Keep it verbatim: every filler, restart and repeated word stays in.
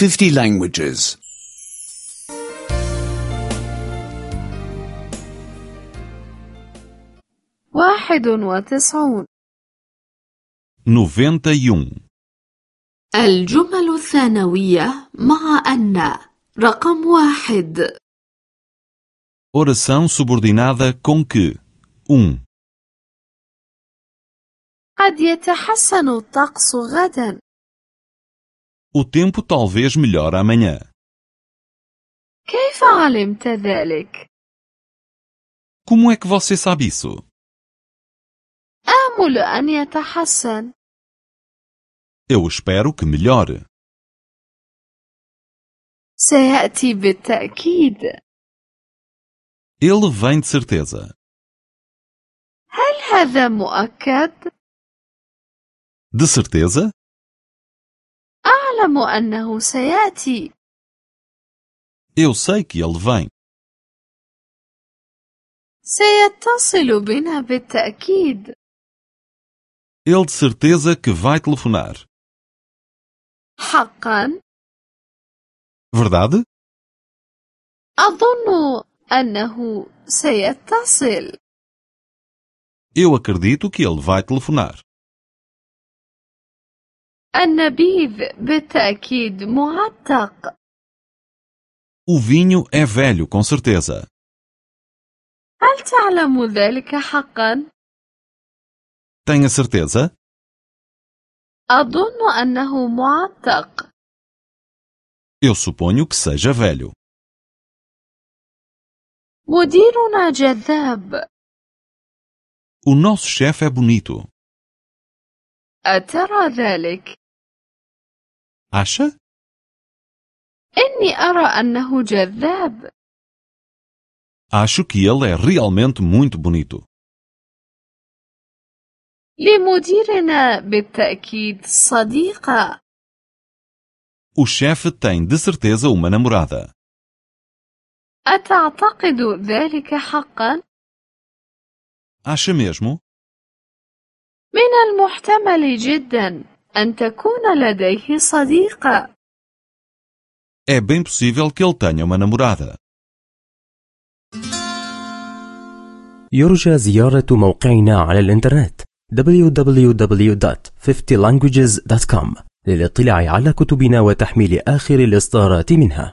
fifty languages. واحد وتسعون. noventa e um. الجمل الثانوية مع أن. رقم واحد. Oração subordinada com que. um. قد يتحسن الطقس غدا. O tempo talvez melhore amanhã. كيف علمت ذلك؟ Como é que você sabe isso? آمل أن يتحسن. Eu espero que melhore. سيأتي بالتأكيد. Ele vem de certeza. هل هذا مؤكد؟ De certeza? أعلم أنه سيأتي. Eu sei que ele vem. سيتصل بنا بالتأكيد. Ele de certeza que vai telefonar. حقا؟ Verdade? أظن أنه سيتصل. Eu acredito que ele vai telefonar. النبيذ بالتأكيد معتق. O vinho é velho, com certeza. هل تعلم ذلك حقا؟ Tenha certeza? أظن أنه معتق. Eu suponho que seja velho. مديرنا جذاب. O nosso chefe é bonito. أترى ذلك؟ Acha? إني أرى أنه جذاب. Acho que ele é realmente muito bonito. لمديرنا بالتأكيد صديقة. O chefe tem de certeza uma namorada. أتعتقد ذلك حقا؟ Acha mesmo? من المحتمل جدا أن تكون لديه صديقة. É bem possível que ele tenha uma namorada. يرجى زيارة موقعنا على الإنترنت دبليو دبليو دبليو دوت fifty languages دوت كوم للاطلاع على كتبنا وتحميل آخر الإصدارات منها.